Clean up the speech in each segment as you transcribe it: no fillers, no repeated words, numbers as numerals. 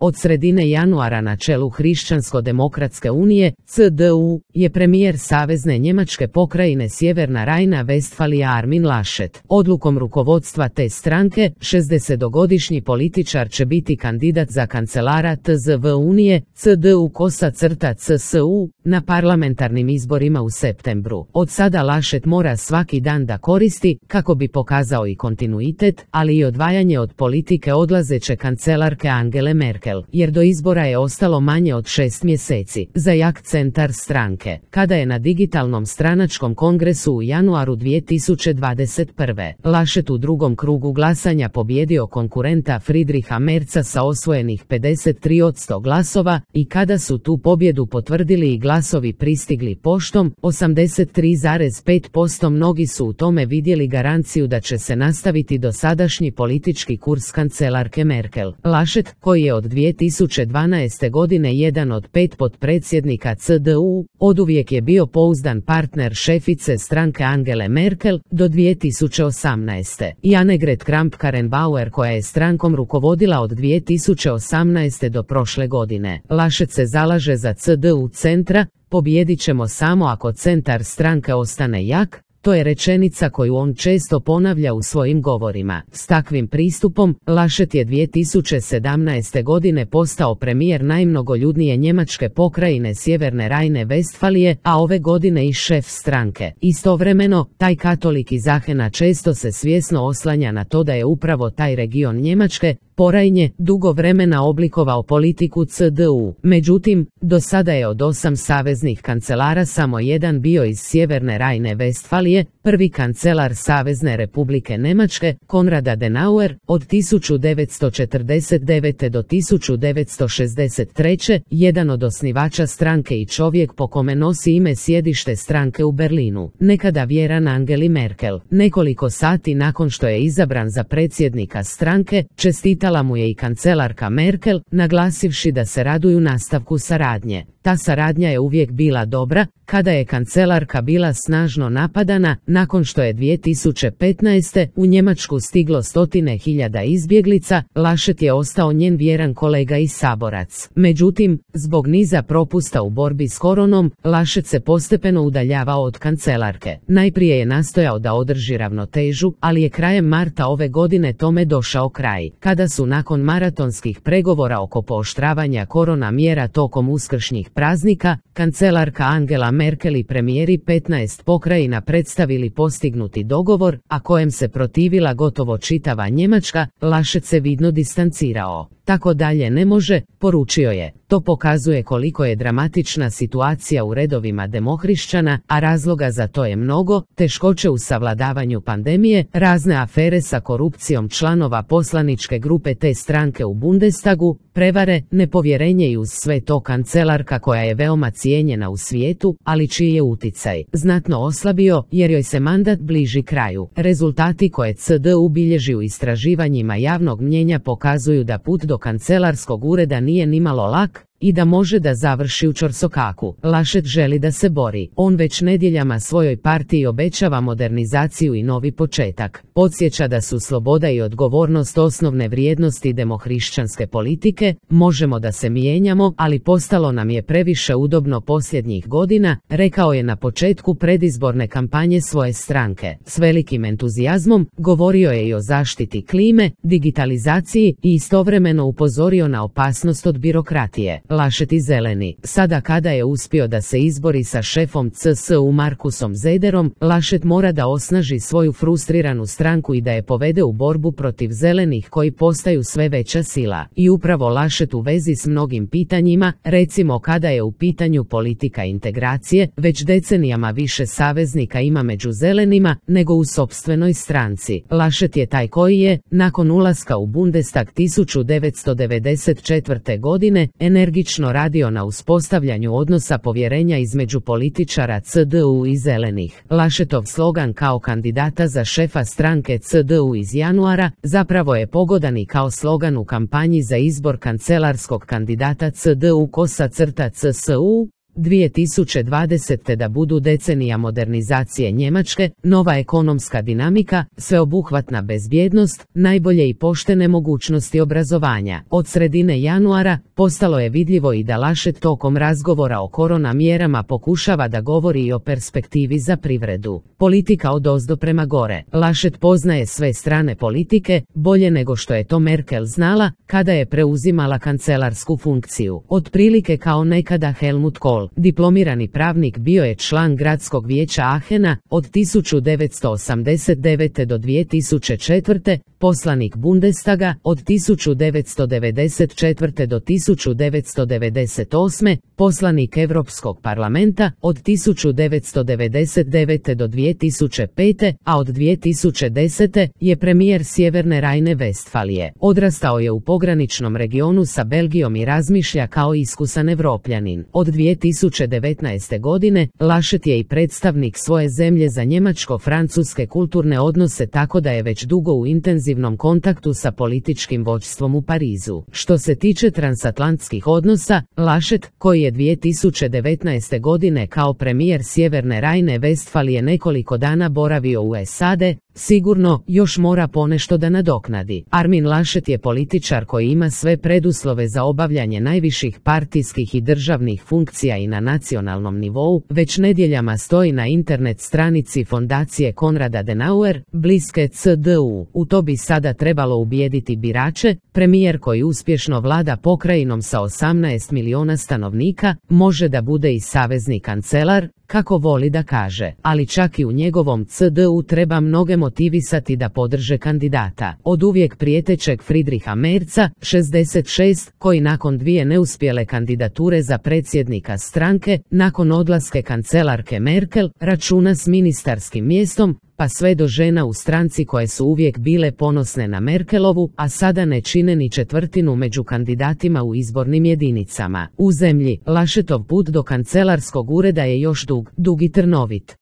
Od sredine januara na čelu Hrišćansko-demokratske unije, CDU, je premijer Savezne Njemačke pokrajine Sjeverna Rajna-Vestfalija Armin Laschet. Odlukom rukovodstva te stranke, 60-godišnji političar će biti kandidat za kancelara TZV Unije, CDU-CSU, na parlamentarnim izborima u septembru. Od sada Laschet mora svaki dan da koristi, kako bi pokazao i kontinuitet, ali i odvajanje od politike odlazeće kancelarke Angele Merkel, jer do izbora je ostalo manje od 6 mjeseci. Za jak centar stranke, kada je na digitalnom stranačkom kongresu u januaru 2021. Laschet u drugom krugu glasanja pobjedio konkurenta Friedricha Merza sa osvojenih 53% glasova i kada su tu pobjedu potvrdili i glasovi pristigli poštom, 83,5%, mnogi su u tome vidjeli garanciju da će se nastaviti dosadašnji politički kurs kancelarke Merkel. Laschet, koji je od 2012. godine jedan od 5 potpredsjednika CDU, oduvijek je bio pouzdan partner šefice stranke Angele Merkel do 2018. i Annegret Kramp-Karrenbauer, koja je strankom rukovodila od 2018. do prošle godine. Laschet se zalaže za CDU centra, pobijedit ćemo samo ako centar stranke ostane jak. To je rečenica koju on često ponavlja u svojim govorima. S takvim pristupom, Laschet je 2017. godine postao premijer najmnogoljudnije njemačke pokrajine Sjeverne Rajne-Vestfalije, a ove godine i šef stranke. Istovremeno, taj katolik iz Aachena često se svjesno oslanja na to da je upravo taj region Njemačke, Porajnje, dugo vremena oblikovao politiku CDU. Međutim, do sada je od 8 saveznih kancelara samo jedan bio iz Sjeverne Rajne-Vestfalije, prvi kancelar Savezne Republike Njemačke, Konrad Adenauer, od 1949. do 1963. jedan od osnivača stranke i čovjek po kome nosi ime sjedište stranke u Berlinu, nekada vjeran Angeli Merkel. Nekoliko sati nakon što je izabran za predsjednika stranke, čestitala mu je i kancelarka Merkel, naglasivši da se raduju nastavku saradnje. Ta saradnja je uvijek bila dobra, kada je kancelarka bila snažno napadana, nakon što je 2015. u Njemačku stiglo 100.000 izbjeglica, Laschet je ostao njen vjeran kolega i saborac. Međutim, zbog niza propusta u borbi s koronom, Laschet se postepeno udaljavao od kancelarke. Najprije je nastojao da održi ravnotežu, ali je krajem marta ove godine tome došao kraj, kada su nakon maratonskih pregovora oko pooštravanja korona mjera tokom uskršnjih praznika, kancelarka Angela Merkel i premijeri 15 pokrajina predstavili postignuti dogovor, a kojem se protivila gotovo čitava Njemačka. Laschet se vidno distancirao. Tako dalje ne može, poručio je. To pokazuje koliko je dramatična situacija u redovima demohrišćana, a razloga za to je mnogo: teškoće u savladavanju pandemije, razne afere sa korupcijom članova poslaničke grupe te stranke u Bundestagu, prevare, nepovjerenje i uz sve to kancelarka koja je veoma cijenjena u svijetu, ali čiji je uticaj znatno oslabio jer joj se mandat bliži kraju. Rezultati koje CDU bilježi u istraživanjima javnog mnijenja pokazuju da put do kancelarskog ureda nije nimalo lak i da može da završi u ćorsokaku. Laschet želi da se bori. On već nedjeljama svojoj partiji obećava modernizaciju i novi početak. Podsjeća da su sloboda i odgovornost osnovne vrijednosti demohrišćanske politike. Možemo da se mijenjamo, ali postalo nam je previše udobno posljednjih godina, rekao je na početku predizborne kampanje svoje stranke. S velikim entuzijazmom govorio je i o zaštiti klime, digitalizaciji i istovremeno upozorio na opasnost od birokratije. Laschet i zeleni. Sada kada je uspio da se izbori sa šefom CSU Markusom Zederom, Laschet mora da osnaži svoju frustriranu stranku i da je povede u borbu protiv zelenih koji postaju sve veća sila. I upravo Laschet u vezi s mnogim pitanjima, recimo kada je u pitanju politika integracije, već decenijama više saveznika ima među zelenima nego u sopstvenoj stranci. Laschet je taj koji je, nakon ulaska u Bundestag 1994. godine, energično radio na uspostavljanju odnosa povjerenja između političara CDU i zelenih. Laschetov slogan kao kandidata za šefa stranke CDU iz januara zapravo je pogodan i kao slogan u kampanji za izbor kancelarskog kandidata CDU-CSU, 2020. da budu decenija modernizacije Njemačke, nova ekonomska dinamika, sveobuhvatna bezbjednost, najbolje i poštene mogućnosti obrazovanja. Od sredine januara postalo je vidljivo i da Laschet tokom razgovora o korona mjerama pokušava da govori i o perspektivi za privredu. Politika odozdo prema gore. Laschet poznaje sve strane politike, bolje nego što je to Merkel znala kada je preuzimala kancelarsku funkciju. Otprilike kao nekada Helmut Kohl. Diplomirani pravnik, bio je član gradskog vijeća Aachena od 1989. do 2004., poslanik Bundestaga od 1994. do 1998., poslanik Europskog parlamenta od 1999. do 2005., a od 2010. je premijer Sjeverne Rajne-Vestfalije. Odrastao je u pograničnom regionu sa Belgijom i razmišlja kao iskusan Evropljanin. Od 2019. godine Laschet je i predstavnik svoje zemlje za njemačko-francuske kulturne odnose, tako da je već dugo u intenzivnom kontaktu sa političkim vođstvom u Parizu. Što se tiče transatlantskih odnosa, Laschet, koji je 2019. godine kao premijer Sjeverne Rajne-Vestfalije nekoliko dana boravio u SAD, sigurno još mora ponešto da nadoknadi. Armin Laschet je političar koji ima sve preduslove za obavljanje najviših partijskih i državnih funkcija i na nacionalnom nivou, već nedjeljama stoji na internet stranici fondacije Konrada Adenauer, bliske CDU. U to bi sada trebalo ubijediti birače. Premijer koji uspješno vlada pokrajinom sa 18 miliona stanovnika može da bude i savezni kancelar, kako voli da kaže, ali čak i u njegovom CDU treba mnoge motivisati da podrže kandidata. Od uvijek prijetećeg Friedricha Merza, 66, koji nakon dvije neuspjele kandidature za predsjednika stranke, nakon odlaske kancelarke Merkel, računa s ministarskim mjestom, pa sve do žena u stranci koje su uvijek bile ponosne na Merkelovu, a sada ne čine ni četvrtinu među kandidatima u izbornim jedinicama. U zemlji, Laschetov put do kancelarskog ureda je još dug i trnovit.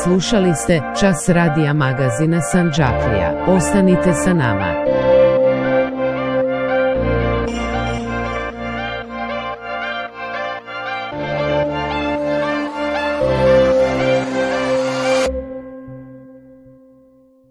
Slušali ste Čas radija magazina Sandžaklija. Ostanite sa nama.